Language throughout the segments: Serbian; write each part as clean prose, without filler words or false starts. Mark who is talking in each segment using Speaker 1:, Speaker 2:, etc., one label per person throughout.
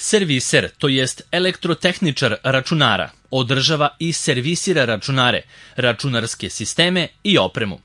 Speaker 1: Serviser, to jest elektrotehničar računara, održava i servisira računare, računarske sisteme i opremu.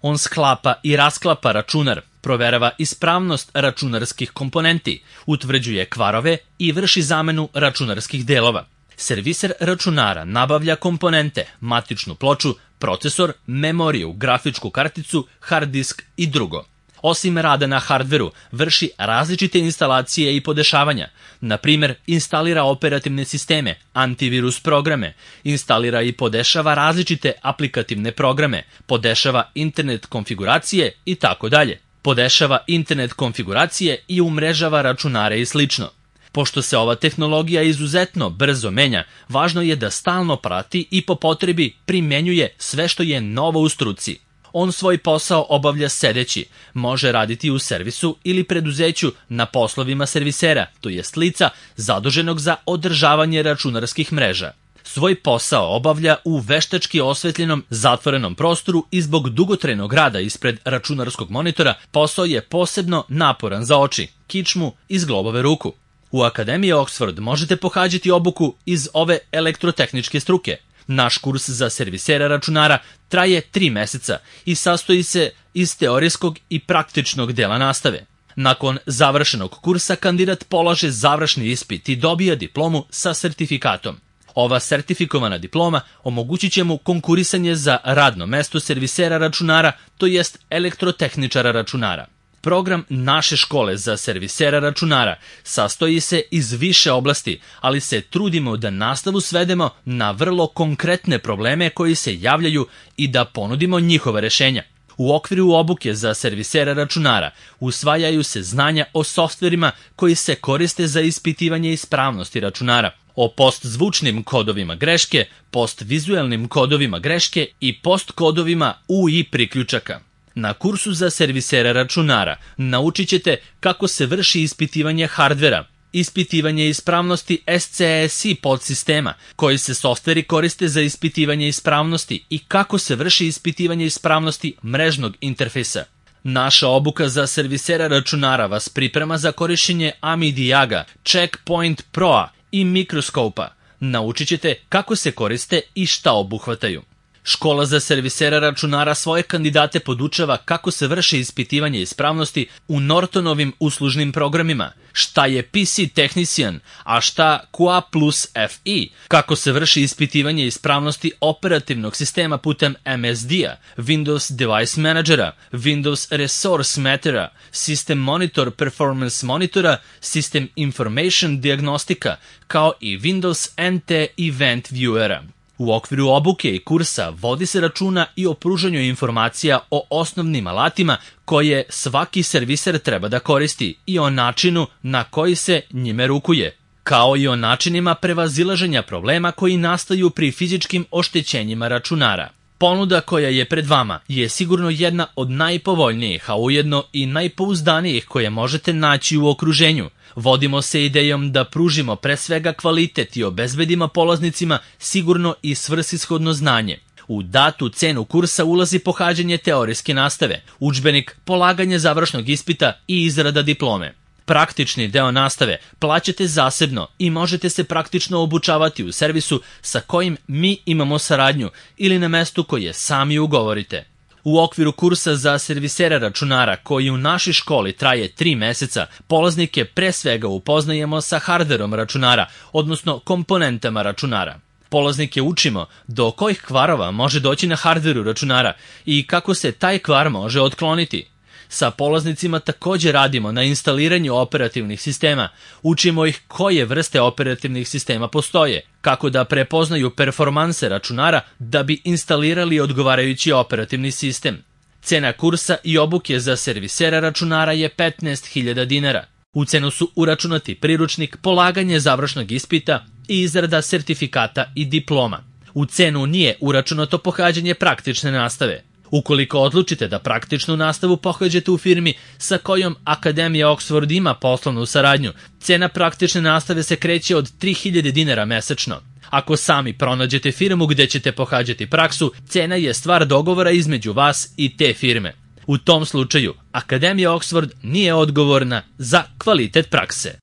Speaker 1: On sklapa i rasklapa računar, proverava ispravnost računarskih komponenti, utvrđuje kvarove i vrši zamenu računarskih delova. Serviser računara nabavlja komponente, matičnu ploču, procesor, memoriju, grafičku karticu, hard disk i drugo. Osim rada na hardveru, vrši različite instalacije i podešavanja. Na primjer, instalira operativne sisteme, antivirus programe, instalira i podešava različite aplikativne programe, podešava internet konfiguracije i tako dalje. Podešava internet konfiguracije i umrežava računare i slično. Pošto se ova tehnologija izuzetno brzo menja, važno je da stalno prati i po potrebi primenjuje sve što je novo u struci. On svoj posao obavlja sedeći, može raditi u servisu ili preduzeću na poslovima servisera, to jest lica zaduženog za održavanje računarskih mreža. Svoj posao obavlja u veštački osvetljenom zatvorenom prostoru i zbog dugotrajnog rada ispred računarskog monitora posao je posebno naporan za oči, kičmu i zglobove ruku. U Akademiji Oxford možete pohađati obuku iz ove elektrotehničke struke. Naš kurs za servisera računara traje 3 meseca i sastoji se iz teorijskog i praktičnog dela nastave. Nakon završenog kursa kandidat polaže završni ispit i dobija diplomu sa sertifikatom. Ova sertifikovana diploma omogućit će mu konkurisanje za radno mesto servisera računara, to jest elektrotehničara računara. Program naše škole za servisera računara sastoji se iz više oblasti, ali se trudimo da nastavu svedemo na vrlo konkretne probleme koji se javljaju i da ponudimo njihova rešenja. U okviru obuke za servisera računara usvajaju se znanja o softverima koji se koriste za ispitivanje ispravnosti računara, o postzvučnim kodovima greške, postvizualnim kodovima greške i postkodovima UI priključaka. Na kursu za servisera računara naučit ćete kako se vrši ispitivanje hardvera, ispitivanje ispravnosti SCSI podsistema, koji se softveri koriste za ispitivanje ispravnosti i kako se vrši ispitivanje ispravnosti mrežnog interfejsa. Naša obuka za servisera računara vas priprema za korišćenje Amidiaga, Checkpoint Pro-a i mikroskopa. Naučit ćete kako se koriste i šta obuhvataju. Škola za servisera računara svoje kandidate podučava kako se vrši ispitivanje ispravnosti u Nortonovim uslužnim programima, šta je PC Technician, a šta QA plus FI, kako se vrši ispitivanje ispravnosti operativnog sistema putem MSD-a, Windows Device Managera, Windows Resource Mattera, System Monitor Performance Monitora, System Information Diagnostika, kao i Windows NT Event Viewera. U okviru obuke i kursa vodi se računa i o pružanju informacija o osnovnim alatima koje svaki serviser treba da koristi i o načinu na koji se njime rukuje, kao i o načinima prevazilaženja problema koji nastaju pri fizičkim oštećenjima računara. Ponuda koja je pred vama je sigurno jedna od najpovoljnijih, a ujedno i najpouzdanijih koje možete naći u okruženju. Vodimo se idejom da pružimo pre svega kvalitet i obezbedimo polaznicima sigurno i svrsishodno znanje. U datu cenu kursa ulazi pohađanje teorijske nastave, udžbenik, polaganje završnog ispita i izrada diplome. Praktični deo nastave plaćate zasebno i možete se praktično obučavati u servisu sa kojim mi imamo saradnju ili na mestu koje sami ugovorite. U okviru kursa za servisera računara koji u našoj školi traje 3 meseca, polaznike pre svega upoznajemo sa hardverom računara, odnosno komponentama računara. Polaznike učimo do kojih kvarova može doći na hardveru računara i kako se taj kvar može otkloniti. Sa polaznicima također radimo na instaliranju operativnih sistema, učimo ih koje vrste operativnih sistema postoje, kako da prepoznaju performanse računara da bi instalirali odgovarajući operativni sistem. Cena kursa i obuke za servisera računara je 15.000 dinara. U cenu su uračunati priručnik, polaganje završnog ispita i izrada sertifikata i diploma. U cenu nije uračunato pohađanje praktične nastave. Ukoliko odlučite da praktičnu nastavu pohađate u firmi sa kojom Akademija Oxford ima poslovnu saradnju, cena praktične nastave se kreće od 3.000 dinara mesečno. Ako sami pronađete firmu gde ćete pohađati praksu, cena je stvar dogovora između vas i te firme. U tom slučaju, Akademija Oxford nije odgovorna za kvalitet prakse.